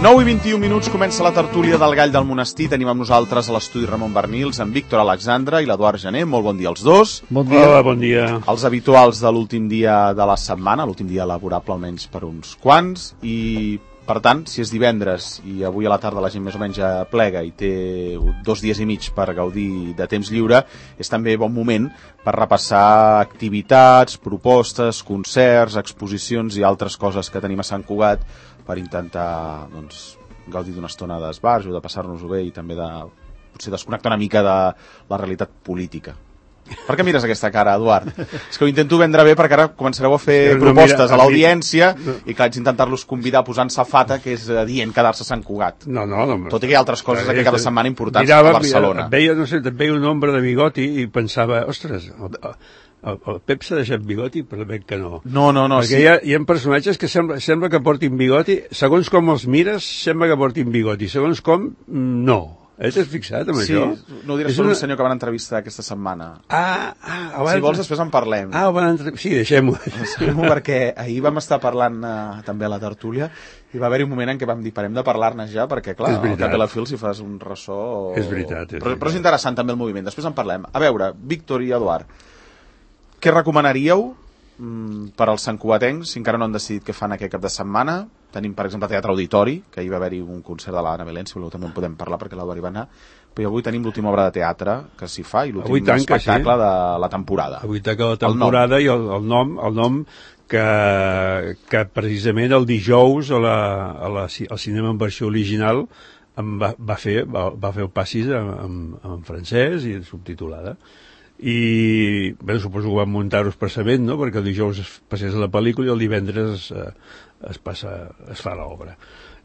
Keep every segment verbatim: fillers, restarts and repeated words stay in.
nou i vint-i-u minuts, comença la tertúlia del Gall del Monestir. Tenim amb nosaltres a l'estudi Ramon Bernils, en Víctor Alexandre i l'Eduard Gené. Molt bon dia als dos. Bon dia. Hola, bon dia. Els habituals de l'últim dia de la setmana, l'últim dia laborable almenys per uns quants, i per tant, si és divendres i avui a la tarda la gent més o menys plega i té dos dies i mig per gaudir de temps lliure, és també bon moment per repassar activitats, propostes, concerts, exposicions i altres coses que tenim a Sant Cugat per intentar doncs, gaudir d'una estona d'esbarjo, de passar-nos-ho bé i també de potser desconnectar una mica de la realitat política. Per què mires aquesta cara, Eduard? És que ho intento vendre bé perquè ara començareu a fer no, propostes mira, a l'audiència no. I que haig d'intentar-los convidar a posar en safata, que és adient quedar-se a Sant Cugat. No, no, no. Tot i que hi ha altres coses aquí cada setmana importants mirava, a Barcelona. Veia, no sé, veia un hombre de bigoti i pensava, ostres, el, el, el Pep s'ha deixat bigoti, però veig que no. No, no, no. Perquè sí. hi, ha, hi ha personatges que sembla, sembla que portin bigoti, segons com els mires, sembla que portin bigoti, segons com, no. Has fixat amb sí, això? Sí, no ho diràs per una... un senyor que van entrevistar aquesta setmana. Ah, ah, abans... Si vols, després en parlem. Ah, van entre... Sí, deixem-ho. Deixem-ho perquè ahir vam estar parlant eh, també a la tertúlia i va haver-hi un moment en què vam dir, parem de parlar-ne ja, perquè, clar, al cap de la fil si fas un ressò... O... És veritat, és però, veritat. Però és interessant també el moviment, després en parlem. A veure, Víctor i Eduard, què recomanaríeu mm, per als santcugatencs, si encara no han decidit què fan aquest cap de setmana? Tenim, per exemple, Teatre Auditori, que ahir va haver-hi un concert de l'Anna Belén, si voleu també en podem parlar, perquè l'Eduard hi va anar, però avui tenim l'última obra de teatre que s'hi fa i l'últim espectacle sí. de la temporada. Avui tanca la temporada el i el, el nom, el nom que, que precisament el dijous a la, a la, al cinema en versió original em va, va, fer, va, va fer el passis en, en, en francès i subtitulada. I bé, suposo que van muntar-ho expressament, no?, perquè el dijous es passés a la pel·lícula i el divendres eh, es, passa, es fa l'obra.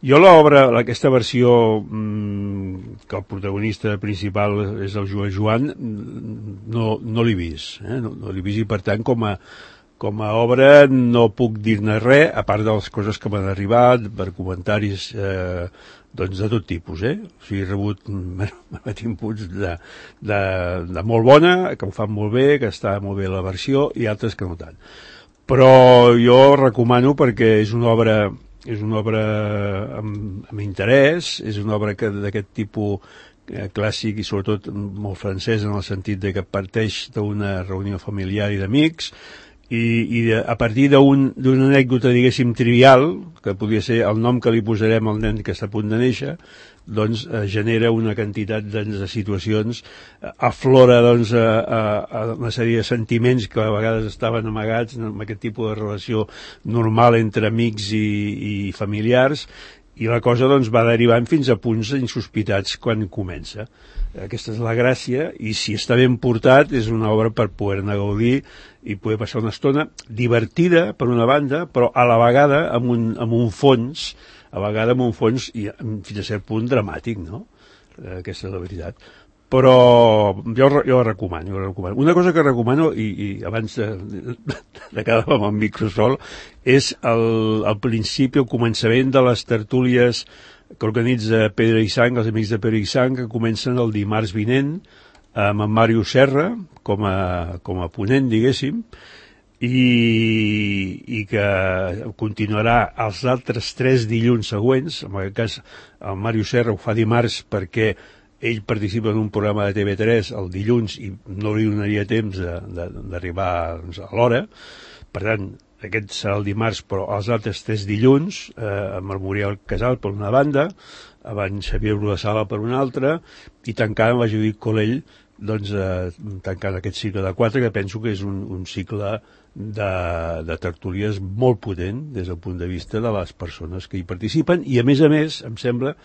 Jo l'obra, aquesta versió mmm, que el protagonista principal és el Joan Joan, no, no l'he vist, eh? no, no l'he vist i per tant com a, com a obra no puc dir-ne res, a part de les coses que m'han arribat, per comentaris eh, doncs de tot tipus, eh? O sigui, he rebut inputs de, de, de molt bona, que ho fan molt bé, que està molt bé la versió, i altres que no tant. Però jo recomano perquè és una obra, és una obra amb, amb interès, és una obra que d'aquest tipus eh, clàssic i sobretot molt francès en el sentit de que parteix d'una reunió familiar i d'amics, i, i de, a partir d'una un, anècdota, diguéssim, trivial, que podria ser el nom que li posarem al nen que està a punt de néixer, doncs eh, genera una quantitat de, de situacions, eh, aflora doncs, a, a, a una sèrie de sentiments que a vegades estaven amagats en aquest tipus de relació normal entre amics i, i familiars, i la cosa doncs, va derivant fins a punts insospitats quan comença. Aquesta és la gràcia, i si està ben portat és una obra per poder-ne gaudir i poder passar una estona divertida per una banda, però a la vegada amb un, amb un fons a vegades amb un fons i fins a cert punt dramàtic, no? Aquesta és la veritat. Però jo, jo ho recomano, jo ho recomano. Una cosa que recomano, i, i abans de, de quedar amb el microsol, és el, el principi, el començament de les tertúlies que organitza Pedra i Sang, els amics de Pedra i Sang, que comencen el dimarts vinent amb en Màrius Serra com a, com a ponent, diguéssim, i, i que continuarà els altres tres dilluns següents. En aquest cas el Màrius Serra ho fa dimarts perquè ell participa en un programa de T V tres el dilluns i no li donaria temps d'arribar doncs, a l'hora. Per tant, aquest serà el dimarts, però els altres tres dilluns, eh, amb el Muriel Casal per una banda, abans Xavier Brodessala per una altra, i tancant amb la Judit Colell, doncs eh, tancant aquest cicle de quatre, que penso que és un, un cicle de, de tertúlies molt potent des del punt de vista de les persones que hi participen, i a més a més, em sembla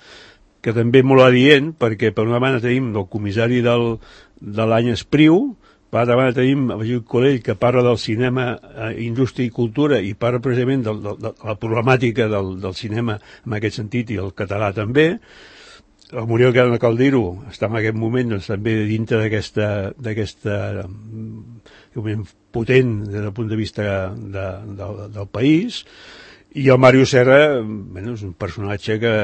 que també molt adient, perquè per una banda tenim el comissari del, de l'any Espriu, per altra banda tenim el Judit Colell, que parla del cinema, eh, indústria i cultura, i parla precisament de, de, de la problemàtica del, del cinema en aquest sentit, i el català també. El Muriel Caldiro està en aquest moment doncs, també dintre d'aquesta d'aquesta potent des del punt de vista de, de, del país. I el Màrius Serra, bueno, és un personatge que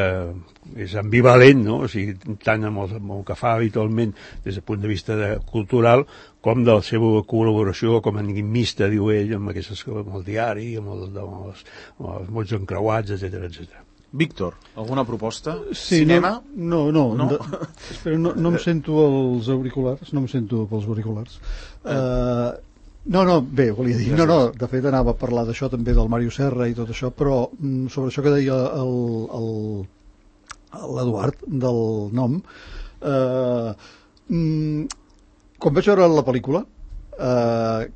és ambivalent, no? O sigui, tant amb el, amb el que fa habitualment des del punt de vista de, cultural, com de la seva col·laboració com a enigmista, diu ell, amb, aquestes, amb el diari, amb, el, amb, els, amb els mots encreuats, etcètera, etcètera. Víctor, alguna proposta? Sí, Cinema? No, no, no, No? de, espera, no, no em sento els auriculars, no em sento pels auriculars. Uh, no, no, bé, volia dir, no, no, de fet anava a parlar d'això també del Màrio Serra i tot això, però mm, sobre això que deia el, el, l'Eduard del nom, uh, mm, quan vaig veure la pel·lícula, uh,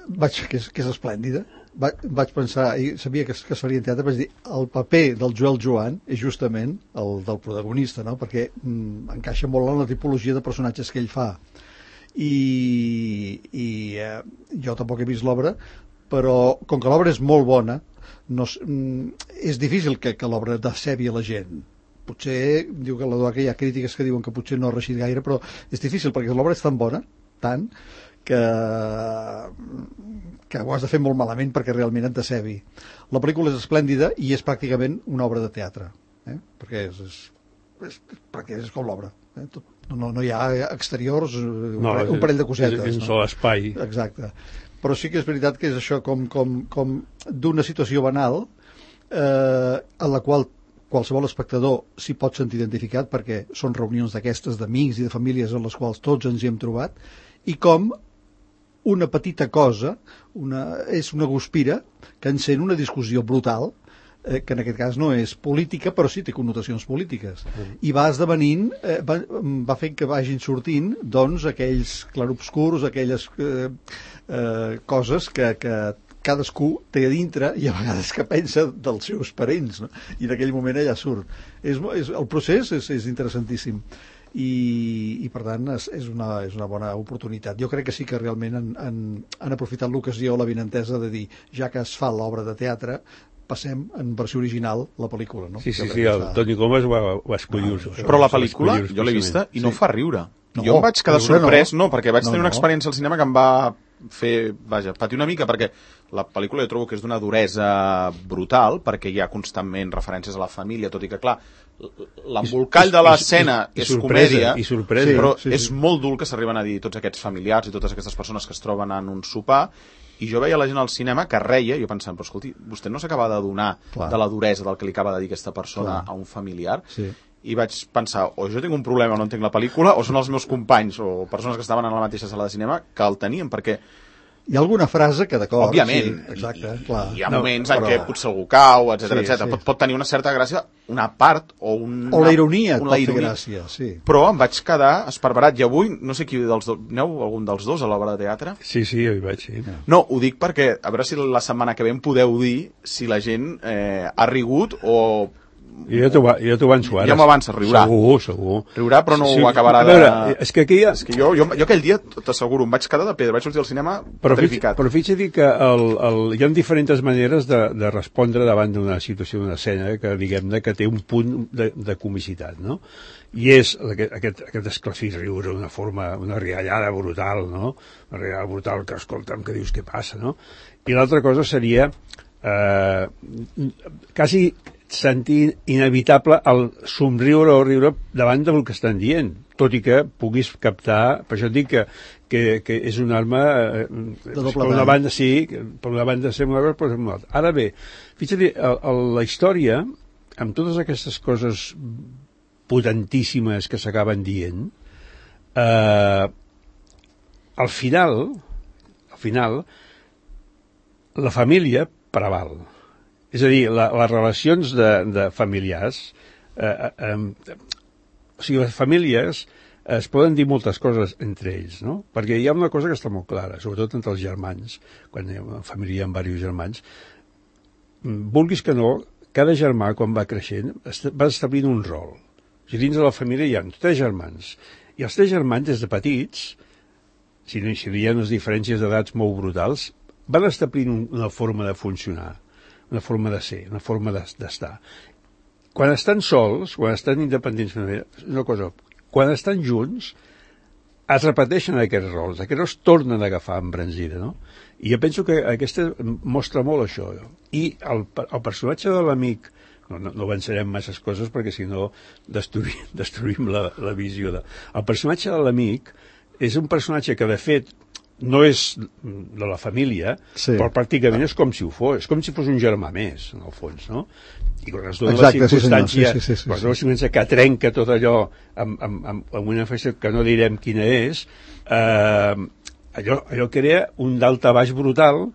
vaig, que és, que és esplèndida, vaig, vaig pensar, i sabia que es, que es faria en teatre, vaig dir, el paper del Joel Joan és justament el del protagonista, no? Perquè mm, encaixa molt en la tipologia de personatges que ell fa. I, i eh, jo tampoc he vist l'obra, però com que l'obra és molt bona, no, mm, és difícil que, que l'obra decebi a la gent. Potser, diu que l'Eduard que hi ha crítiques que diuen que potser no ha reixit gaire, però és difícil perquè l'obra és tan bona, tant, que, que ho has de fer molt malament perquè realment et decebi. La pel·lícula és esplèndida i és pràcticament una obra de teatre, eh? perquè, és, és, és, perquè és com l'obra. Eh? No, no hi ha exteriors, un, no, parell, un parell de cosetes. És un no? sol espai. Exacte. Però sí que és veritat que és això com, com, com d'una situació banal eh, en la qual qualsevol espectador s'hi pot sentir identificat perquè són reunions d'aquestes d'amics i de famílies en les quals tots ens hi hem trobat, i com una petita cosa una, és una guspira que encén una discussió brutal, eh, que en aquest cas no és política, però sí té connotacions polítiques. Mm. I va esdevenint, eh, va, va fent que vagin sortint doncs aquells clarobscurs, aquelles eh, eh, coses que, que cadascú té a dintre i a vegades que pensa dels seus parents, no? I en aquell moment allà surt. És, és, el procés és, és interessantíssim. I, i per tant és, és, una, és una bona oportunitat. Jo crec que sí que realment han, han, han aprofitat l'ocasió, la benentesa de dir, ja que es fa l'obra de teatre, passem en versió original la pel·lícula, no? Sí, sí, sí, el Toni Comas ho va, va escollir. Ah, però la pel·lícula, jo l'he vista i no sí. fa riure. No, jo em vaig quedar sorprès, no, no perquè vaig no, tenir una experiència al cinema que em va fer, vaja, patir una mica, perquè la pel·lícula jo trobo que és d'una duresa brutal, perquè hi ha constantment referències a la família, tot i que, clar, l'embolcall de l'escena és comèdia, i sorpresa, però sí, sí. és molt dur que s'arriben a dir tots aquests familiars i totes aquestes persones que es troben en un sopar, i jo veia la gent al cinema que reia, i jo pensant, però escolti, vostè no s'acaba d'adonar de la duresa del que li acaba de dir aquesta persona Clar. a un familiar, sí. i vaig pensar, o jo tinc un problema, no entenc la pel·lícula, o són els meus companys o persones que estaven en la mateixa sala de cinema que el tenien, perquè hi ha alguna frase que d'acord... Òbviament, sí, exacte, i, clar. hi ha no, moments però... en què potser algú cau, etcètera, sí, etcètera. sí. Pot, pot tenir una certa gràcia, una part o una... O la ironia et una pot ironia. fer gràcia, sí. Però em vaig quedar esparverat, i avui, no sé qui dels dos, aneu algun dels dos a l'obra de teatre? Sí, sí, jo hi vaig, sí. No, ho dic perquè, a veure si la setmana que ve em podeu dir si la gent eh, ha rigut o... Jo t'ho ja avanço ara. Ja m'avança, riurà. Segur, segur. Riurà, però no sí, ho acabarà de... Veure, de... és que aquí hi ha... És que jo, jo, jo aquell dia, t'asseguro, em vaig quedar de pedra, vaig sortir al cinema però petrificat. Fix, però fixa't que el, el, hi ha diferents maneres de, de respondre davant d'una situació, d'una escena, que diguem-ne que té un punt de, de comicitat, no? I és aquest, aquest, aquest esclafir riure, una forma, una riallada brutal, no? Una riallada brutal que, escolta'm, que dius què passa, no? I l'altra cosa seria eh, quasi sentir inevitable el somriure o riure davant del que estan dient, tot i que puguis captar, per això et dic que, que, que és una arma eh, per una banda sí, per una banda sembla una cosa, però sembla una altra. Ara bé, fixa't, la història, amb totes aquestes coses potentíssimes que s'acaben dient, eh, al final, al final, la família preval. És a dir, la, les relacions de, de familiars, eh, eh, o sigui, les famílies es poden dir moltes coses entre ells, no? Perquè hi ha una cosa que està molt clara, sobretot entre els germans, quan hi ha una família amb diversos germans, vulguis que no, cada germà, quan va creixent, va establint un rol. O sigui, dins de la família hi ha tres germans, i els tres germans, des de petits, si no hi ha unes diferències d'edats molt brutals, van establint una forma de funcionar, una forma de ser, una forma d'estar. Quan estan sols, quan estan independents, una cosa, quan estan junts, es repeteixen aquests rols, aquests rols tornen a agafar embranzida, no? I jo penso que aquesta mostra molt això. I el, el personatge de l'amic, no, no, no avançarem masses coses perquè si no destruïm, destruïm la, la visió. De... El personatge de l'amic és un personatge que, de fet, no és de la família, sí. però pràcticament és com si ho fos, és com si fos un germà més, en el fons, no? I quan es dona Exacte, la circumstància, sí, sí, sí, sí, quan es sí. dona la circumstància que trenca tot allò amb, amb, amb, amb una festa que no direm quina és, eh, allò, allò crea un daltabaix brutal,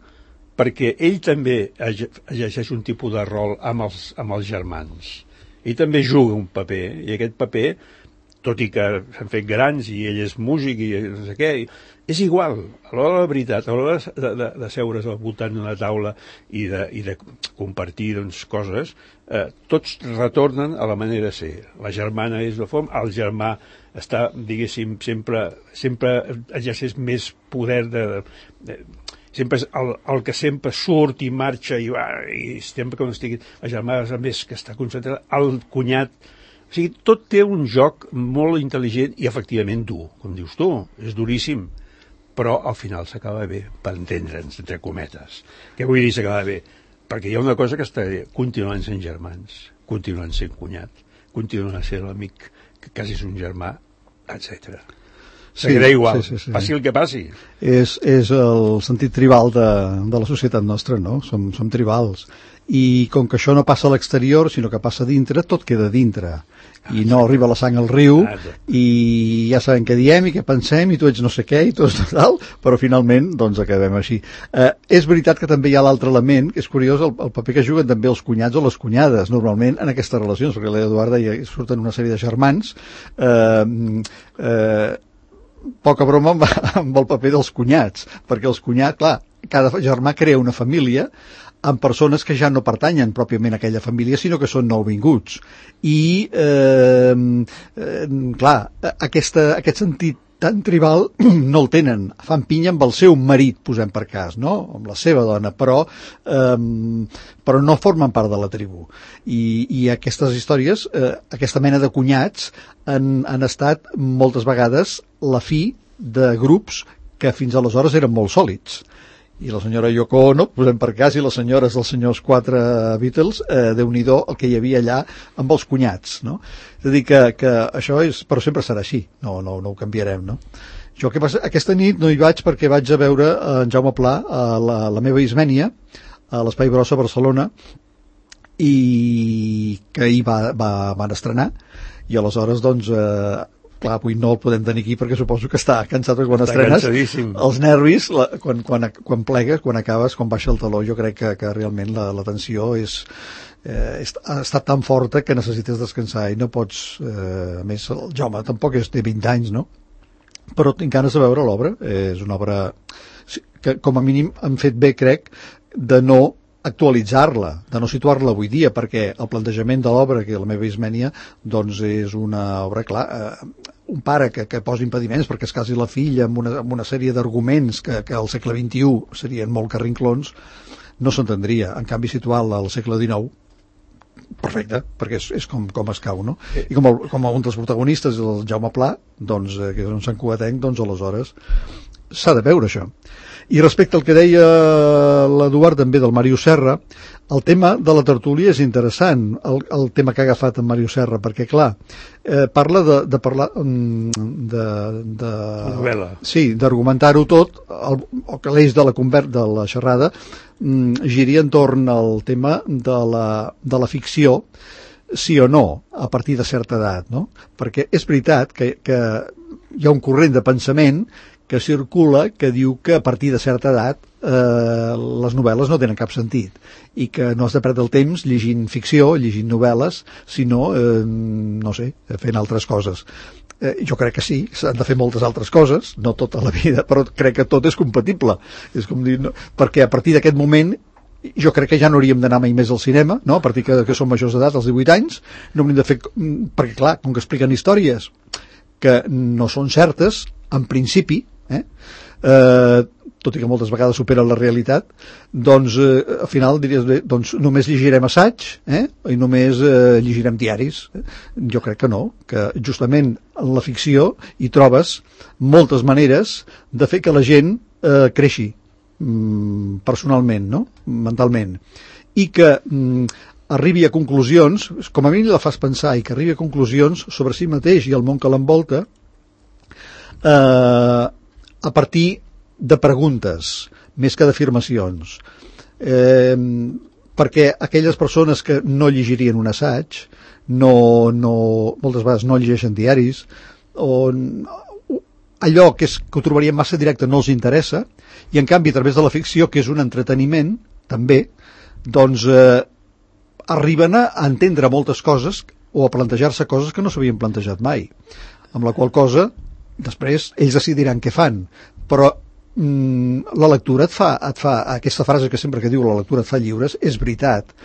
perquè ell també exerceix un tipus de rol amb els, amb els germans. Ell també juga un paper, i aquest paper, tot i que s'han fet grans i ell és músic i no sé què, és igual. A l'hora de la veritat, a l'hora de, de, de seure's al voltant d'una taula i de, i de compartir doncs, coses, eh, tots retornen a la manera de ser. La germana és la forma, el germà està, diguéssim, sempre, sempre exerceix més poder de... de, de sempre és el, el que sempre surt i marxa i, i sempre quan estigui la germana és més que està concentrat, el cunyat, o sigui, tot té un joc molt intel·ligent i efectivament dur, com dius tu, és duríssim, però al final s'acaba bé, per entendre'ns, entre cometes. Què vull dir s'acaba bé? Perquè hi ha una cosa que està bé, continuen sent germans, continuen sent cunyat, continuen sent l'amic, que quasi és un germà, etcètera. Seguirà sí, igual, sí, sí, sí. Passi el que passi. És, és el sentit tribal de, de la societat nostra, no? Som, som tribals. I com que això no passa a l'exterior, sinó que passa a dintre, tot queda a dintre. I no arriba la sang al riu, i ja sabem què diem i què pensem, i tu ets no sé què, i tu ets tal, però finalment, doncs, acabem així. Eh, és veritat que també hi ha l'altre element, que és curiós, el, el paper que juguen també els cunyats o les cunyades, normalment, en aquestes relacions, perquè l'Eduard deia, surten una sèrie de germans, eh, eh, poca broma amb, amb el paper dels cunyats, perquè els cunyats, clar, cada germà crea una família amb persones que ja no pertanyen pròpiament a aquella família, sinó que són nouvinguts. I, eh, eh, clar, aquesta, aquest sentit tan tribal no el tenen. Fan pinya amb el seu marit, posem per cas, no? Amb la seva dona, però, eh, però no formen part de la tribu. I, i aquestes històries, eh, aquesta mena de cunyats, han, han estat moltes vegades la fi de grups que fins aleshores eren molt sòlids. I la senyora Yoko Ono, posem per cas, i les senyores dels senyors quatre Beatles, eh, Déu-n'hi-do el que hi havia allà amb els cunyats, no? És a dir, que, que això és, però sempre serà així, no, no, no ho canviarem, no? Jo que passa, aquesta nit no hi vaig perquè vaig a veure en Jaume Pla a la, la meva Ismènia, a l'Espai Brossa a Barcelona, i que ahir va, va, van estrenar, i aleshores, doncs, eh, clar, avui no el podem tenir aquí perquè suposo que està cansat perquè quan està estrenes els nervis, la, quan, quan, quan plegues, quan acabes, quan baixa el taló, jo crec que, que realment la, la tensió és, eh, és, ha estat tan forta que necessites descansar i no pots, eh, a més el Jaume tampoc és de vint anys, no? Però tinc ganes de veure l'obra, eh, és una obra que com a mínim han fet bé, crec, de no actualitzar-la, de no situar-la avui dia, perquè el plantejament de l'obra, que la meva Ismènia, doncs és una obra, clar, eh, un pare que, que posa impediments perquè es casi la filla amb una, amb una sèrie d'arguments que, que al segle vint-i-u serien molt carrinclons, no s'entendria. En canvi, situar-la al segle dinou, perfecte, perquè és, és com, com es cau, no? I com, el, com un dels protagonistes, el Jaume Pla, doncs, eh, que és un santcugatenc, doncs aleshores s'ha de veure això. I respecte al que deia l'Eduard també del Màrius Serra, el tema de la tertúlia és interessant, el, el tema que ha agafat en Màrius Serra, perquè clar, eh, parla de, de parlar de, de novel·la. Sí, d'argumentar-ho tot, el, o que l'eix de la conver de la xerrada mm, giri entorn al tema de la, de la ficció, sí o no, a partir de certa edat, no? Perquè és veritat que, que hi ha un corrent de pensament que circula que diu que a partir de certa edat eh, les novel·les no tenen cap sentit i que no has de perdre el temps llegint ficció, llegint novel·les, sinó, eh, no sé, fent altres coses. Eh, jo crec que sí, s'han de fer moltes altres coses, no tota la vida, però crec que tot és compatible. És com dir, no? Perquè a partir d'aquest moment jo crec que ja no hauríem d'anar mai més al cinema, no? A partir que, que som majors d'edat, als divuit anys, no hauríem de fer... Perquè, clar, com que expliquen històries que no són certes, en principi, eh? Eh, tot i que moltes vegades superen la realitat, doncs eh, al final diries bé, doncs només llegirem assaig, eh? I només eh, llegirem diaris. Jo crec que no, que justament en la ficció hi trobes moltes maneres de fer que la gent eh, creixi mm, personalment, no? Mentalment, i que mm, arribi a conclusions, com a mínim la fas pensar, i que arribi a conclusions sobre si mateix i el món que l'envolta, eh, a partir de preguntes, més que d'afirmacions. Eh, perquè aquelles persones que no llegirien un assaig, no, no, moltes vegades no llegeixen diaris, o allò que, és, que ho trobarien massa directe no els interessa, i en canvi a través de la ficció, que és un entreteniment també, doncs eh, arriben a entendre moltes coses o a plantejar-se coses que no s'havien plantejat mai, amb la qual cosa després ells decidiran què fan, però mm, la lectura et fa, et fa aquesta frase que sempre que diu la lectura et fa lliures, és veritat,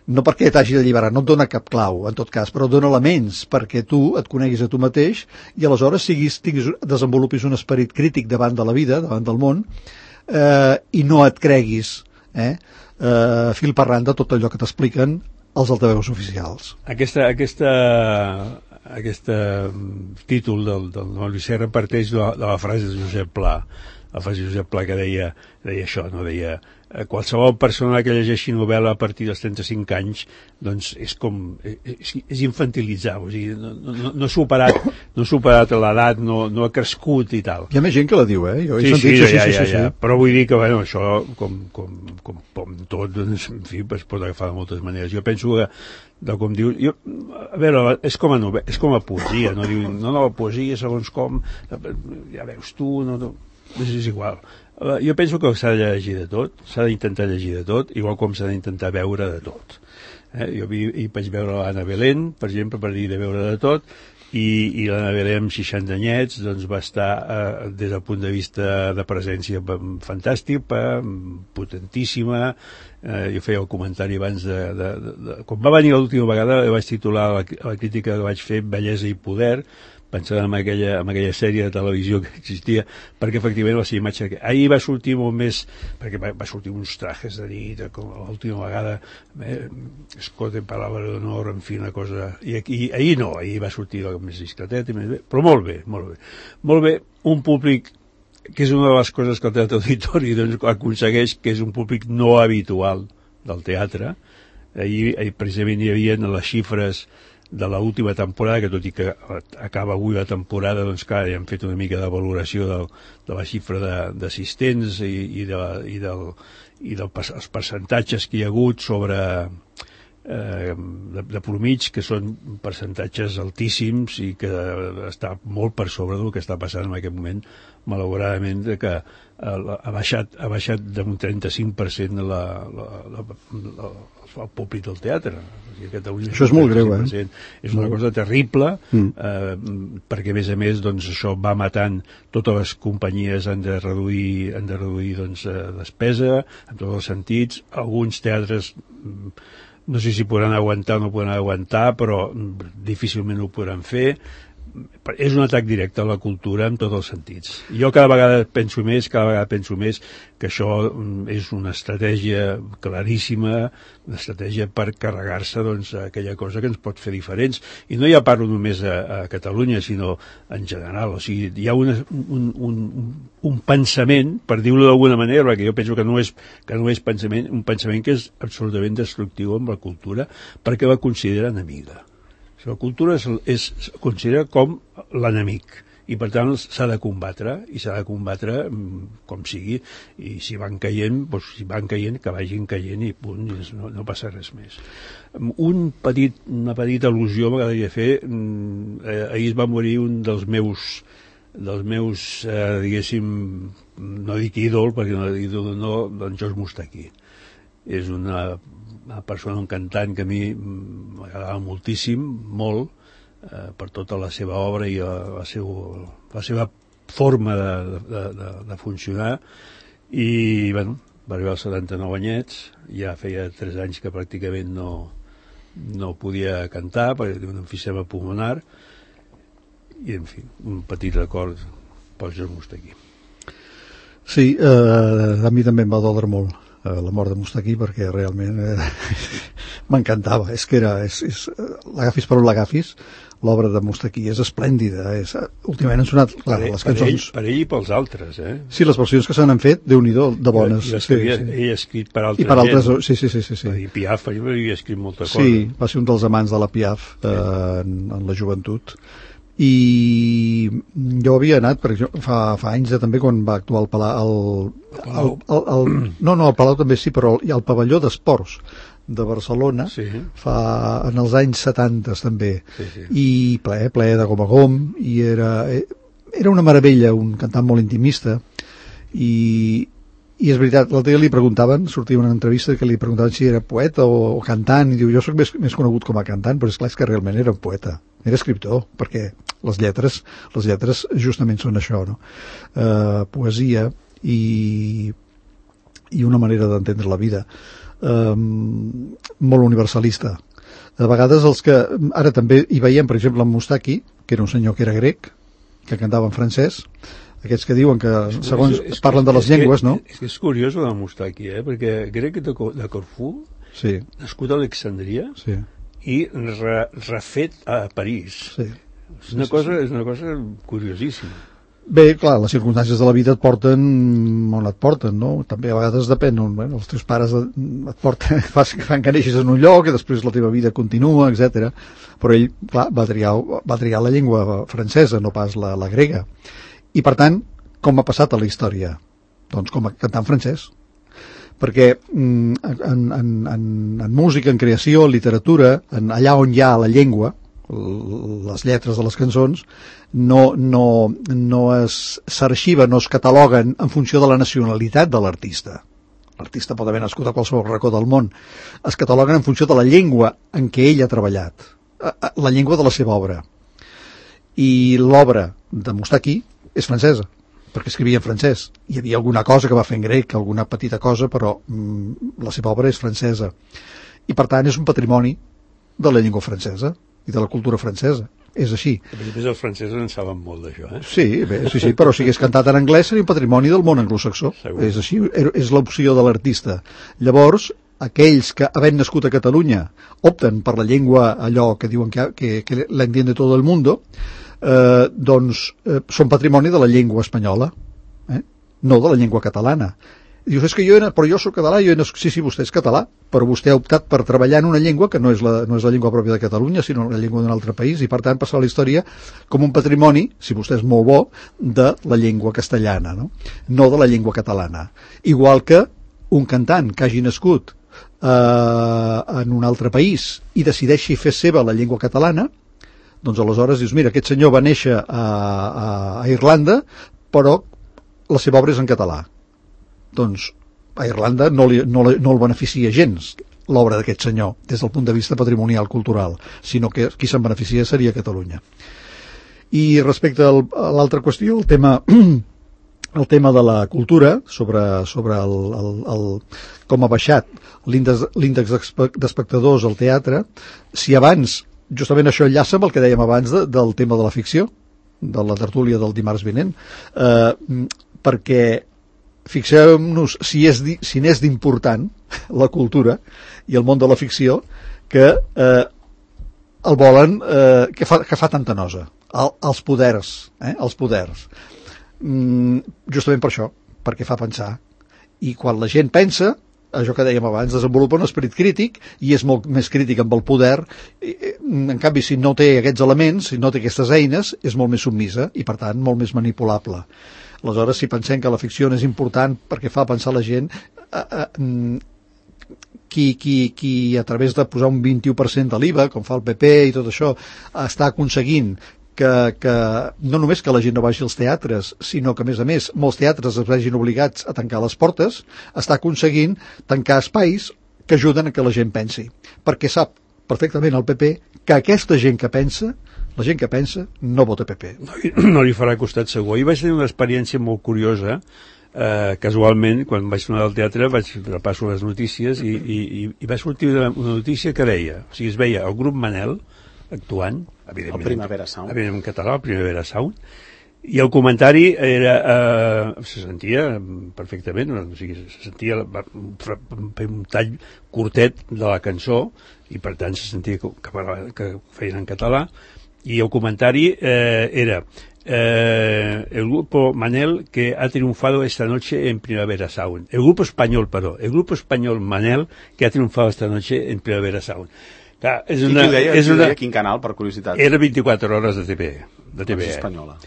no perquè t'hagi d'alliberar, no et dona cap clau en tot cas, però et dona elements perquè tu et coneguis a tu mateix i aleshores siguis, tinguis, desenvolupis un esperit crític davant de la vida, davant del món, eh, i no et creguis eh, eh, fil per randa tot allò que t'expliquen els altaveus oficials. Aquesta, aquesta, aquesta títol del, del Maurici Serra parteix de la, de la frase de Josep Pla, la frase de Josep Pla que deia, deia això, no deia qualsevol persona que llegeixi novel·la a partir dels trenta-cinc anys doncs és com és, és infantilitzar, o sigui, no, no, no ha superat no ha superat l'edat, no, no ha crescut i tal. Hi ha més gent que la diu, eh? Jo he sí, sentit, sí, sí, ja, sí, ja, sí, ja. sí. Però vull dir que bueno, això com, com, com, com tot doncs, en fi, es pot agafar de moltes maneres. Jo penso que de com diu, jo, a veure, és com a novel·la, és com a poesia, no diu, no, no, la poesia segons com, ja veus tu, no, no, és igual. Jo penso que s'ha de llegir de tot, s'ha d'intentar llegir de tot, igual com s'ha d'intentar veure de tot. Eh? Jo vi, hi vaig veure l'Anna Belén, per exemple, per dir de veure de tot, i, i l'Anna Belén amb seixanta anyets doncs, va estar, eh, des del punt de vista de presència, fantàstic, eh, potentíssima. Eh, jo feia el comentari abans de, de, de, de... Quan va venir l'última vegada, vaig titular la, la crítica que vaig fer Bellesa i poder, pensant en aquella, en aquella sèrie de televisió que existia, perquè efectivament la seva imatge... Ahir va sortir molt més, perquè va, va sortir uns trajes de nit, com l'última vegada, eh, escote, palabra d'honor, en fi, una cosa... I aquí, ahir no, ahir va sortir més discretet, i més bé, però molt bé, molt bé. Molt bé, un públic que és una de les coses que el teatre auditori doncs, aconsegueix, que és un públic no habitual del teatre. Ahir, ahir precisament hi havia les xifres de l'última temporada, que tot i que acaba avui la temporada, doncs clar, ja hem fet una mica de valoració del, de la xifra d'assistents i, i, de, i, del, i del, els percentatges que hi ha hagut sobre eh, de, de promig, que són percentatges altíssims i que està molt per sobre del que està passant en aquest moment, malauradament, que ha baixat, ha baixat d'un trenta-cinc per cent la, la, la, la, el públic del teatre. Això és molt greu, eh? És una cosa terrible, mm. eh, perquè a més a més doncs, això va matant, totes les companyies han de reduir, han de reduir doncs, despesa en tots els sentits. Alguns teatres no sé si podran aguantar o no podran aguantar, però difícilment ho podran fer. És un atac directe a la cultura en tots els sentits. Jo cada vegada penso més, cada vegada penso més que això és una estratègia claríssima, una estratègia per carregar-se doncs, aquella cosa que ens pot fer diferents. I no ja parlo només a, a Catalunya, sinó en general. O sigui, hi ha una, un, un, un pensament, per dir-ho d'alguna manera, perquè jo penso que no és, que no és pensament, un pensament que és absolutament destructiu amb la cultura, perquè la considera enemiga. La cultura és, és considera com l'enemic i per tant s'ha de combatre i s'ha de combatre com sigui, i si van caient, doncs, si van caient que vagin caient i punt, no, no passa res més. Un petit, una petita al·lusió m'agradaria fer, eh, ahir va morir un dels meus dels meus, eh, diguéssim, no dic ídol, perquè no ídol no, d'en George Moustaki. És una una persona, un cantant que a mi m'agradava moltíssim, molt, eh, per tota la seva obra i la, la, seu, la seva forma de, de, de, de funcionar, i bueno, va arribar als setanta-nou anyets, ja feia tres anys que pràcticament no, no podia cantar perquè tenia un emfisema pulmonar, i en fi, un petit record pel George Moustaki. Sí, eh, a mi també em va doldre molt la mort de Moustaki, perquè realment eh, m'encantava. És que era, és, és, l'agafis per on l'agafis, l'obra de Moustaki és esplèndida. És, últimament han sonat, clar, per, les cançons... Per ell, per ell i pels altres, eh? Sí, les versions que se n'han fet, Déu-n'hi-do, de bones. I les que havia, sí. Ell ha escrit per altra I per altres, gent. sí, sí, sí, sí, sí. I Piaf, ell havia escrit molta cosa. Sí, va ser un dels amants de la Piaf eh, en, en la joventut. i jo havia anat, per exemple, fa, fa anys de, també quan va actuar al Palau, el, el, el, el, no, no, al Palau també sí, però el, el pavelló d'esports de Barcelona, sí. fa, en els anys setanta també, sí, sí. i ple, ple de gom a gom, i era, era una meravella, un cantant molt intimista, i, i és veritat, l'altre dia li preguntaven, sortia una entrevista que li preguntaven si era poeta o, o cantant, i diu, jo soc més, més conegut com a cantant, però és clar, és que realment era un poeta, era escriptor, perquè les lletres, les lletres justament són això, no? Uh, poesia i, i una manera d'entendre la vida. Um, molt universalista. A vegades els que... Ara també hi veiem, per exemple, en Moustaki, que era un senyor que era grec, que cantava en francès, aquests que diuen que, segons és, és, parlen de les llengües, que, no? És, és curiós el de Moustaki, eh? Perquè grec de, de Corfú, sí. nascut a Alexandria, sí. i re, refet a París. Sí. És una, cosa, és una cosa curiosíssima. Bé, clar, les circumstàncies de la vida et porten on et porten, no? També a vegades depèn, bueno, els teus pares et porten, fan que neixis en un lloc i després la teva vida continua, etcètera. Però ell, clar, va triar, va triar la llengua francesa, no pas la, la grega. I, per tant, com ha passat a la història? Doncs com a cantant francès. Perquè en, en, en, en música, en creació, en literatura, en allà on hi ha la llengua, les lletres de les cançons no, no, no es s'arxiven, no es cataloguen en funció de la nacionalitat de l'artista. L'artista pot haver nascut a qualsevol racó del món. Es cataloguen en funció de la llengua en què ell ha treballat, la llengua de la seva obra. I l'obra de Moustaki és francesa, perquè escrivia en francès. Hi havia alguna cosa que va fer en grec, alguna petita cosa, però mm, la seva obra és francesa. I per tant és un patrimoni de la llengua francesa i de la cultura francesa. És així. A més, els francesos en saben molt d'això, eh? Sí, bé, sí, sí, però si hagués cantat en anglès seria un patrimoni del món anglosaxó. Segur. És així, és l'opció de l'artista. Llavors, aquells que, havent nascut a Catalunya, opten per la llengua, allò que diuen que, que, que la entiende todo el mundo, eh, doncs eh, són patrimoni de la llengua espanyola, eh? No de la llengua catalana. Dius, és que jo, era, però jo soc català, jo nascut... sí, sí, vostè és català, però vostè ha optat per treballar en una llengua que no és la, no és la llengua pròpia de Catalunya, sinó la llengua d'un altre país, i per tant passar a la història com un patrimoni, si vostè és molt bo, de la llengua castellana, no? No de la llengua catalana. Igual que un cantant que hagi nascut eh, en un altre país i decideixi fer seva la llengua catalana, doncs aleshores dius, mira, aquest senyor va néixer a, a, a Irlanda, però la seva obra és en català. Doncs a Irlanda no, li, no, no el beneficia gens l'obra d'aquest senyor des del punt de vista patrimonial cultural, sinó que qui se'n beneficia seria Catalunya. I respecte al, a l'altra qüestió, el tema el tema de la cultura, sobre, sobre el, el, el, com ha baixat l'índex d'espectadors al teatre, si abans, justament això enllaça amb el que dèiem abans de, del tema de la ficció, de la tertúlia del dimarts vinent, eh, perquè fixem-nos si és si n'és d'important la cultura i el món de la ficció que eh, el volen eh, que, fa, que fa tanta nosa el, els poders eh, els poders mm, justament per això, perquè fa pensar, i quan la gent pensa, això que dèiem abans, desenvolupa un esperit crític i és molt més crític amb el poder. En canvi, si no té aquests elements, si no té aquestes eines, és molt més submisa i per tant molt més manipulable. Aleshores, si pensem que la ficció és important perquè fa pensar la gent, eh, eh, qui, qui, qui a través de posar un vint-i-u per cent de l'I V A, com fa el P P i tot això, està aconseguint que, que no només que la gent no vagi als teatres, sinó que, a més a més, molts teatres es vegin obligats a tancar les portes, està aconseguint tancar espais que ajuden a que la gent pensi. Perquè sap perfectament el P P que aquesta gent que pensa, la gent que pensa, no vota P P. No, no li farà costat segur. I vaig tenir una experiència molt curiosa, eh, casualment, quan vaig tornar al teatre, vaig repasso les notícies i, i, i va sortir una, una notícia que deia, o sigui, es veia el grup Manel actuant, evidentment, el Primavera Sound, evidentment en català, el Primavera Sound, i el comentari era, eh, se sentia perfectament, o sigui, se sentia un tall curtet de la cançó, i per tant se sentia que, que, que feien en català, y el comentario eh, era eh, el grupo Manel que ha triunfado esta noche en Primavera Sound. El grupo español, perdó, el grupo español Manel que ha triunfado esta noche en Primavera Sound. Clar, és una, I qui ho deia, és qui ho una, deia? Quin canal, per curiositat? Era vint-i-quatre hores de T V. de T V E. Espanyola.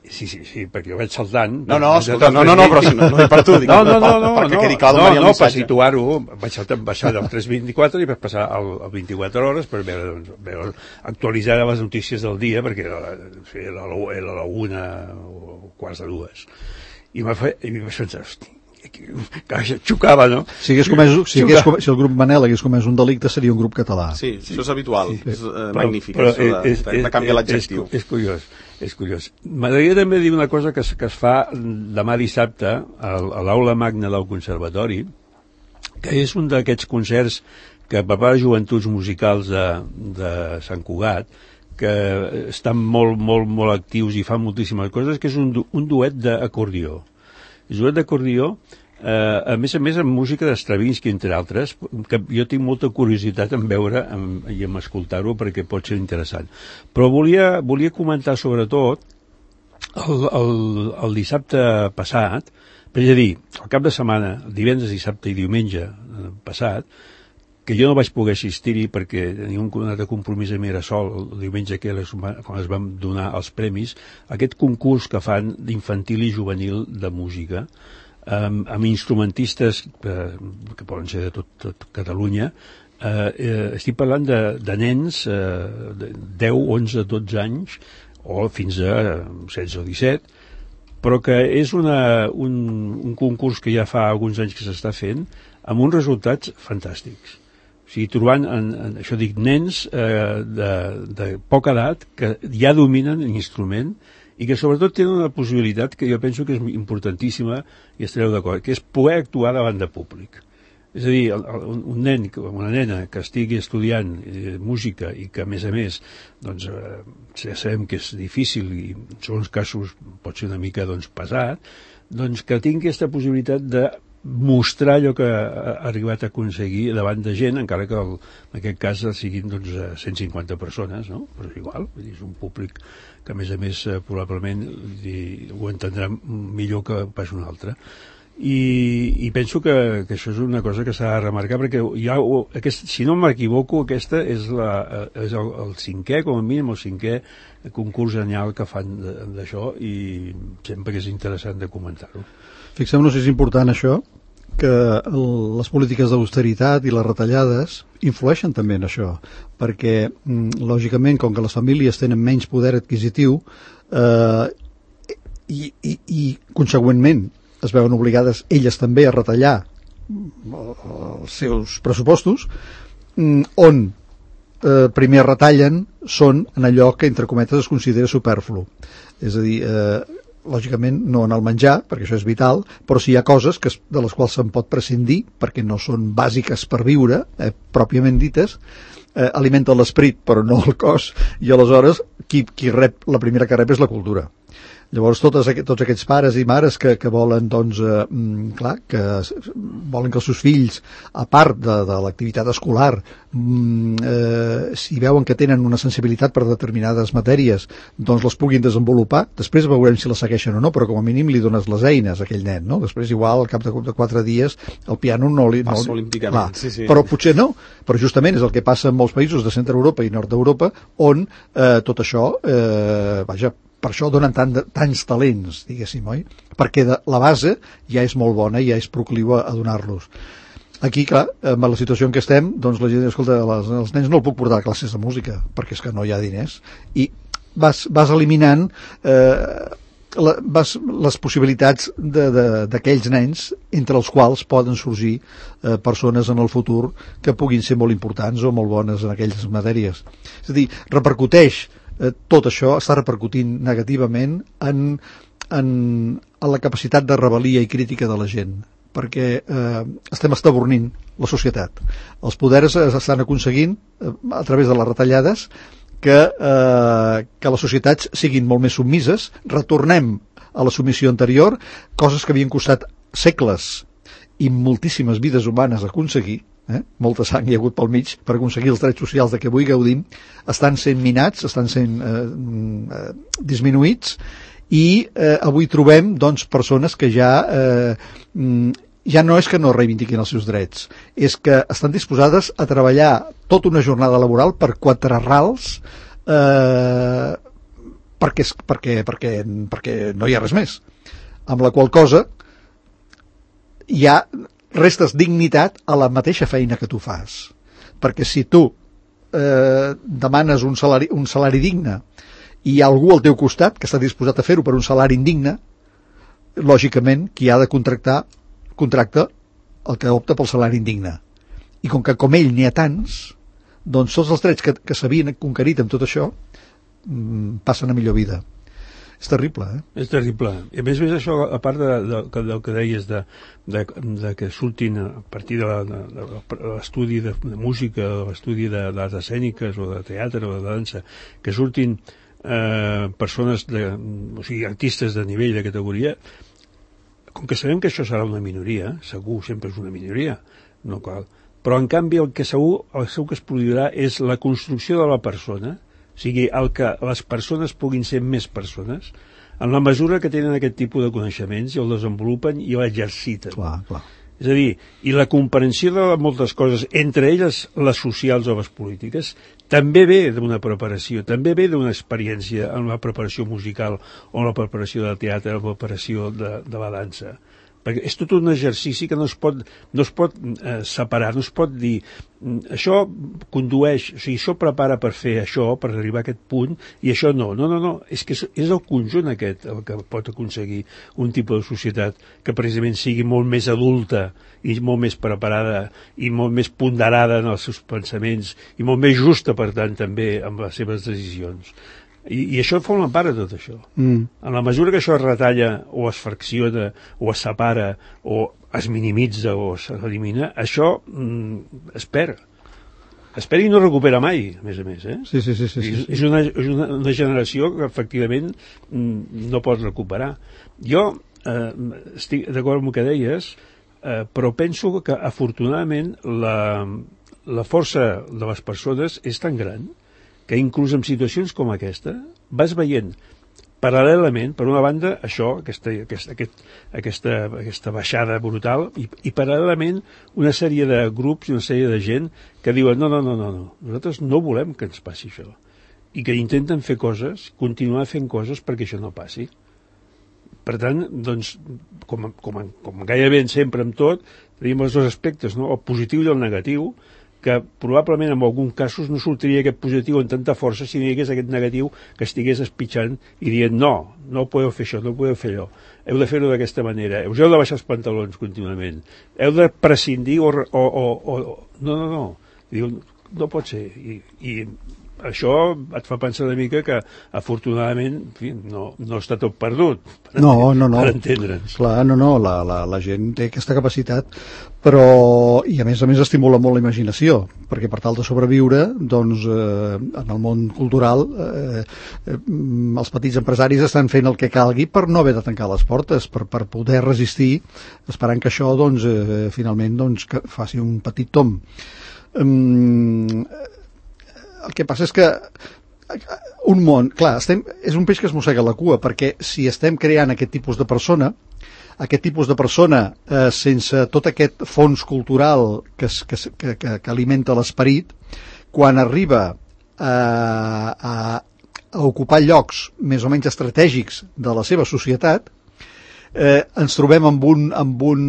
Sí, sí, sí, perquè jo vaig saltant... No, no, escolta, no, no, no, però si no, no és per tu, dic, no, no, no, no, perquè no, quedi clar no, d'on venia el no, per missatge. situar-ho, vaig saltar, baixar del tres vint-i-quatre i vaig passar al, al vint-i-quatre hores per veure, doncs, veure, actualitzar les notícies del dia, perquè era, era, la, era la una o quarts de dues. I m'ha fet, i vaig pensar, hosti, que xocava, no? Si, hagués comès, si, hagués comès, si el grup Manel hagués comès un delicte seria un grup català. Sí, sí, això és habitual, sí. És uh, magnífic, però, això de, és, de, de canviar l'adjectiu. És, és curiós, és curiós. M'agradaria també dir una cosa que, es, que es fa demà dissabte a, a l'aula magna del Conservatori, que és un d'aquests concerts que per part de Joventuts Musicals de, de Sant Cugat, que estan molt, molt, molt actius i fan moltíssimes coses, que és un, un duet d'acordió. És un duet d'acordió, eh, a més a més amb música d'Stravinsky, entre altres, que jo tinc molta curiositat en veure en, i en escoltar-ho perquè pot ser interessant. Però volia, volia comentar sobretot el, el, el dissabte passat, per dir, el cap de setmana, divendres, dissabte i diumenge passat, que jo no vaig poder assistir-hi perquè tenia un altre compromís a Mirasol el diumenge que les, quan es van donar els premis, aquest concurs que fan d'infantil i juvenil de música, amb, amb instrumentistes eh, que poden ser de tot, tot Catalunya. Eh, eh, estic parlant de, de nens eh, de deu, onze, dotze anys o fins a setze o disset, però que és una, un, un concurs que ja fa alguns anys que s'està fent amb uns resultats fantàstics. O sigui, trobant, en, en, això dic, nens eh, de, de poca edat que ja dominen l'instrument i que sobretot tenen una possibilitat que jo penso que és importantíssima i estareu d'acord, que és poder actuar davant de públic. És a dir, el, el, un nen, una nena que estigui estudiant eh, música i que a més a més doncs, eh, ja sabem que és difícil i en segons casos pot ser una mica doncs, pesat, doncs que tingui aquesta possibilitat de mostrar allò que ha arribat a aconseguir davant de gent, encara que el, en aquest cas siguin doncs, cent cinquanta persones, no? Però és igual, vull dir, és un públic que a més a més probablement dir, ho entendrà millor que pas un altre. I, i penso que, que això és una cosa que s'ha de remarcar perquè hi ha, aquest, si no m'equivoco aquesta és, la, és el, el cinquè, com a mínim el cinquè concurs anyal que fan d'això i sempre que és interessant de comentar-ho. Fixem-nos si és important això, que el, les polítiques d'austeritat i les retallades influeixen també en això, perquè lògicament com que les famílies tenen menys poder adquisitiu eh, i, i, i consegüentment es veuen obligades elles també a retallar els seus pressupostos, on eh, primer retallen són en allò que entre cometes es considera superflu, és a dir, eh, lògicament no en el menjar, perquè això és vital, però sí hi ha coses que, de les quals se'n pot prescindir perquè no són bàsiques per viure, eh, pròpiament dites, eh, alimenten l'esperit però no el cos, i aleshores qui, qui rep, la primera que rep és la cultura. Llavors totes, tots aquests pares i mares que, que volen doncs, eh, clar, que volen que els seus fills, a part de, de l'activitat escolar, eh, si veuen que tenen una sensibilitat per determinades matèries, doncs les puguin desenvolupar. Després veurem si les segueixen o no, però com a mínim li dones les eines a aquell nen, no? Després igual al cap de, de quatre dies el piano no li... Passa no, olímpicament, sí, sí. Però potser no, però justament és el que passa en molts països de centre Europa i nord d'Europa on eh, tot això, eh, vaja, per això donen tant de, tants talents, diguéssim, oi? Perquè de, la base ja és molt bona i ja és procliu a, a donar-los. Aquí, clar, amb la situació en què estem, doncs la gent, escolta, les, els nens no el puc portar a classes de música, perquè és que no hi ha diners. I vas, vas eliminant eh, la, vas, les possibilitats d'aquells nens, entre els quals poden sorgir eh, persones en el futur que puguin ser molt importants o molt bones en aquelles matèries. És a dir, repercuteix tot això està repercutint negativament en, en, en la capacitat de rebel·lia i crítica de la gent, perquè eh, estem estabornint la societat. Els poders estan aconseguint, eh, a través de les retallades, que, eh, que les societats siguin molt més submises, retornem a la submissió anterior, coses que havien costat segles i moltíssimes vides humanes aconseguir, Eh? molta sang hi ha hagut pel mig per aconseguir els drets socials de què avui gaudim, estan sent minats, estan sent eh, eh, disminuïts i eh, avui trobem doncs, persones que ja eh, ja no és que no reivindiquin els seus drets, és que estan disposades a treballar tota una jornada laboral per quatre rals eh, perquè, perquè, perquè, perquè no hi ha res més. Amb la qual cosa hi ha restes dignitat a la mateixa feina que tu fas. Perquè si tu eh, demanes un salari, un salari digne i hi ha algú al teu costat que està disposat a fer-ho per un salari indigne, lògicament qui ha de contractar contracta el que opta pel salari indigne. I com que com ell n'hi ha tants, doncs tots els drets que, que s'havien conquerit amb tot això mmm, passen a millor vida. És terrible, eh? És terrible. I a més a més això, a part de, de, de, del que deies de, de, de que surtin a partir de, la, de, de l'estudi de, de música, de l'estudi de, de les escèniques o de teatre o de dansa, que surtin eh, persones, de, o sigui, artistes de nivell, de categoria, com que sabem que això serà una minoria, segur, sempre és una minoria, no cal. Però en canvi el que segur, el segur que es produirà és la construcció de la persona, o sigui, el que les persones puguin ser més persones, en la mesura que tenen aquest tipus de coneixements i el desenvolupen i l'exerciten. Clar, clar. És a dir, i la comprensió de moltes coses, entre elles les socials o les polítiques, també ve d'una preparació, també ve d'una experiència en la preparació musical o en la preparació del teatre, en la preparació de, de la dansa. Perquè és tot un exercici que no es pot, no es pot eh, separar, no es pot dir això condueix, o sigui, això prepara per fer això, per arribar a aquest punt, i això no. No, no, no, és que és, és el conjunt aquest el que pot aconseguir un tipus de societat que precisament sigui molt més adulta i molt més preparada i molt més ponderada en els seus pensaments i molt més justa, per tant, també amb les seves decisions. I, i això forma part de tot això. Mm. En la mesura que això es retalla o es fracciona o es separa o es minimitza o s'elimina, això mm, es perd. Es perd i no recupera mai, a més a més. Eh? Sí, sí, sí, sí, sí. És, és, una, és una, una generació que efectivament mm, no pot recuperar. Jo eh, estic d'acord amb el que deies, eh, però penso que afortunadament la, la força de les persones és tan gran que inclús en situacions com aquesta vas veient paral·lelament, per una banda, això, aquesta, aquesta, aquest, aquesta, aquesta baixada brutal, i, i paral·lelament una sèrie de grups i una sèrie de gent que diuen no, no, no, no, no, nosaltres no volem que ens passi això, i que intenten fer coses, continuar fent coses perquè això no passi. Per tant, doncs, com, com, com gairebé sempre amb tot, tenim els dos aspectes, no? El positiu i el negatiu, que probablement en alguns casos no sortiria aquest positiu amb tanta força si no hi hagués aquest negatiu que estigués espitxant i dient no, no podeu fer això, no podeu fer allò, heu de fer-ho d'aquesta manera, us heu de baixar els pantalons contínuament, heu de prescindir o... o, o, o no, no, no, diu, no pot ser, i, i això et fa pensar una mica que afortunadament en fi, no, no està tot perdut per, no, no, no. per entendre'ns. Clar, no, no, la, la, la gent té aquesta capacitat, però i a més a més estimula molt la imaginació, perquè per tal de sobreviure doncs eh, en el món cultural eh, eh, els petits empresaris estan fent el que calgui per no haver de tancar les portes, per, per poder resistir, esperant que això doncs eh, finalment doncs, que faci un petit tom. Um, el que passa és que un món, clar, estem, és un peix que es mossega la cua, perquè si estem creant aquest tipus de persona, aquest tipus de persona eh, sense tot aquest fons cultural que, es, que, que, que, que alimenta l'esperit, quan arriba a, a, a ocupar llocs més o menys estratègics de la seva societat, eh, ens trobem amb, un, amb, un,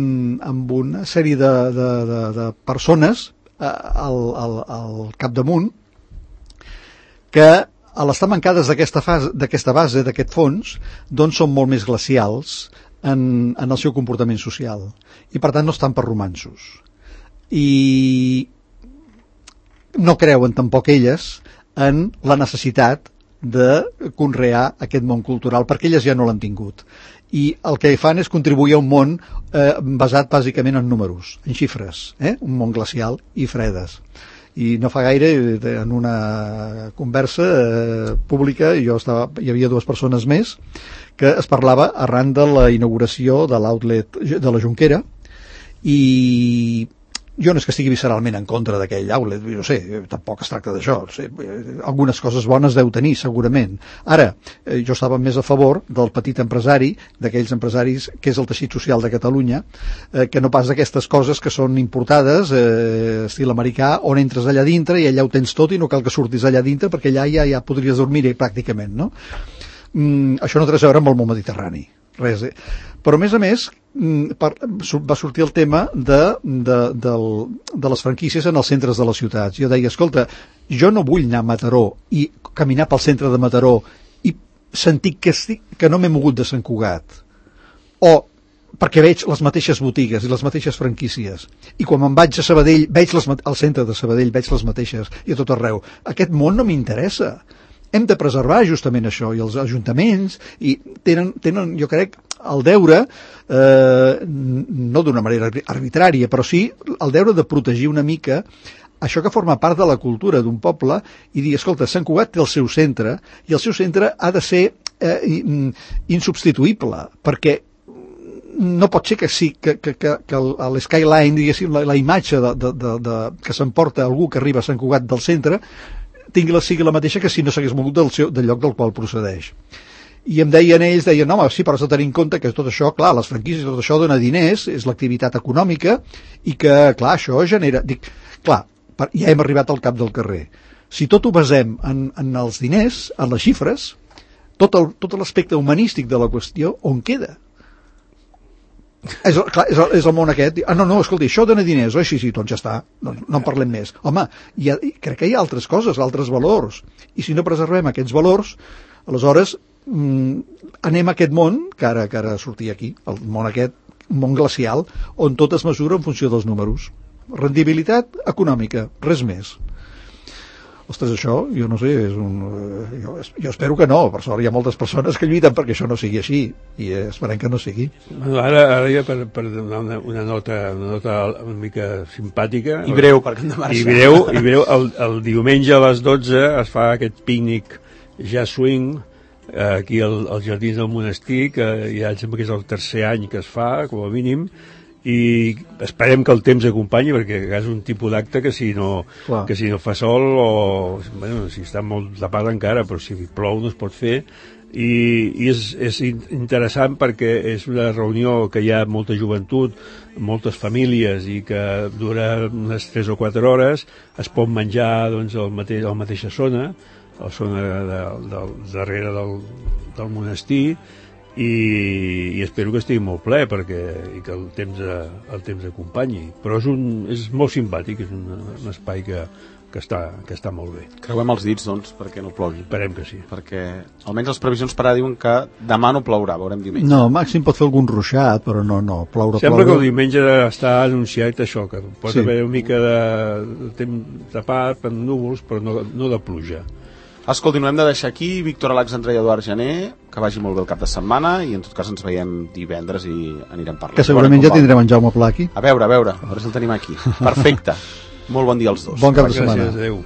amb una sèrie de, de, de, de persones eh, al, al, al capdamunt que a l'estar mancades d'aquesta fase, d'aquesta base, d'aquest fons, doncs són molt més glacials en, en el seu comportament social. I per tant no estan per romanços. I no creuen tampoc elles en la necessitat de conrear aquest món cultural, perquè elles ja no l'han tingut. I el que fan és contribuir a un món eh, basat bàsicament en números, en xifres, eh? Un món glacial i fredes. I no fa gaire, en una conversa eh, pública, jo estava, hi havia dues persones més, que es parlava arran de la inauguració de l'outlet de la Jonquera, i jo no és que estigui visceralment en contra d'aquell outlet, no sé, tampoc es tracta d'això, no sé, algunes coses bones deu tenir, segurament. Ara, eh, jo estava més a favor del petit empresari, d'aquells empresaris que és el teixit social de Catalunya, eh, que no pas d'aquestes coses que són importades, eh, estil americà, on entres allà dintre i allà ho tens tot i no cal que surtis allà dintre perquè allà ja, ja podries dormir-hi pràcticament, no? mm, això no té res a veure amb el món mediterrani, res, eh? Però a més a més mm, per, va sortir el tema de, de, del, de les franquícies en els centres de les ciutats. Jo deia, escolta, jo no vull anar a Mataró i caminar pel centre de Mataró i sentir que, estic, que no m'he mogut de Sant Cugat, o perquè veig les mateixes botigues i les mateixes franquícies, i quan me'n vaig a Sabadell veig les, al centre de Sabadell veig les mateixes i a tot arreu. Aquest món no m'interessa. Hem de preservar justament això, i els ajuntaments i tenen, tenen jo crec, el deure, eh, no d'una manera arbitrària, però sí el deure de protegir una mica això que forma part de la cultura d'un poble i dir, escolta, Sant Cugat té el seu centre i el seu centre ha de ser eh, insubstituïble, perquè no pot ser que sí, que, que, que, que l'skyline, diguéssim, la, la imatge de, de, de, de, que s'emporta algú que arriba a Sant Cugat del centre tingui la, sigui la mateixa que si no s'hagués mogut del, seu, del lloc del qual procedeix. I em deien ells, deien, no, home, sí, però has de tenir en compte que tot això, clar, les franquícies, tot això dona diners, és l'activitat econòmica, i que, clar, això genera... Dic, clar, ja hem arribat al cap del carrer. Si tot ho basem en, en els diners, en les xifres, tot el, tot l'aspecte humanístic de la qüestió, on queda? És, clar, és, el, és el món aquest. Ah, no, no, escolti, això dona diners, oi? Sí, sí, doncs ja està, no, no en parlem més. Home, hi ha, crec que hi ha altres coses, altres valors, i si no preservem aquests valors, aleshores mm, anem a aquest món que ara, que ara sortia aquí, el món aquest, un món glacial, on tot es mesura en funció dels números. Rendibilitat econòmica, res més. Ostres, això, jo no sé, és un, jo, jo espero que no, per sort hi ha moltes persones que lluiten perquè això no sigui així, i esperem que no sigui. Ara, ara ja per, per donar una, una, nota, una nota una mica simpàtica... I breu, perquè hem de marxar. I breu, i breu el, el diumenge a les dotze es fa aquest pícnic jazz swing eh, aquí al, als Jardins del Monestir, que ja em sembla que és el tercer any que es fa, com a mínim, i esperem que el temps acompanyi, perquè és un tipus d'acte que si no Clar. que si no fa sol o bueno, si està molt tapat encara, però si plou no es pot fer, i, i és, és interessant perquè és una reunió que hi ha molta joventut, moltes famílies, i que dura unes tres o quatre hores, es pot menjar doncs, al mateix, a la mateixa zona, a la zona de, de, de, darrere del, del monestir, i, i espero que estigui molt ple perquè, i que el temps, el temps acompanyi, però és, un, és molt simpàtic, és un, un espai que, que, està, que està molt bé. Creuem els dits, doncs, perquè no plogui. Esperem que sí. Perquè almenys les previsions per ara diuen que demà no plourà, veurem diumenge. No, màxim pot fer algun ruixat, però no, no, ploure, Sembla ploure. que el diumenge està anunciat això, que pot sí. haver una mica de, de temps tapat per núvols, però no, no de pluja. Escolti, no hem de deixar aquí. Víctor Alexandre i Eduard Gené, que vagi molt bé el cap de setmana, i en tot cas ens veiem divendres i anirem parlant. Que segurament ja tindrem en Jaume Pla aquí. A veure, a veure, a veure si el tenim aquí. Perfecte. Molt bon dia als dos. Bon cap de setmana. Gràcies, adeu.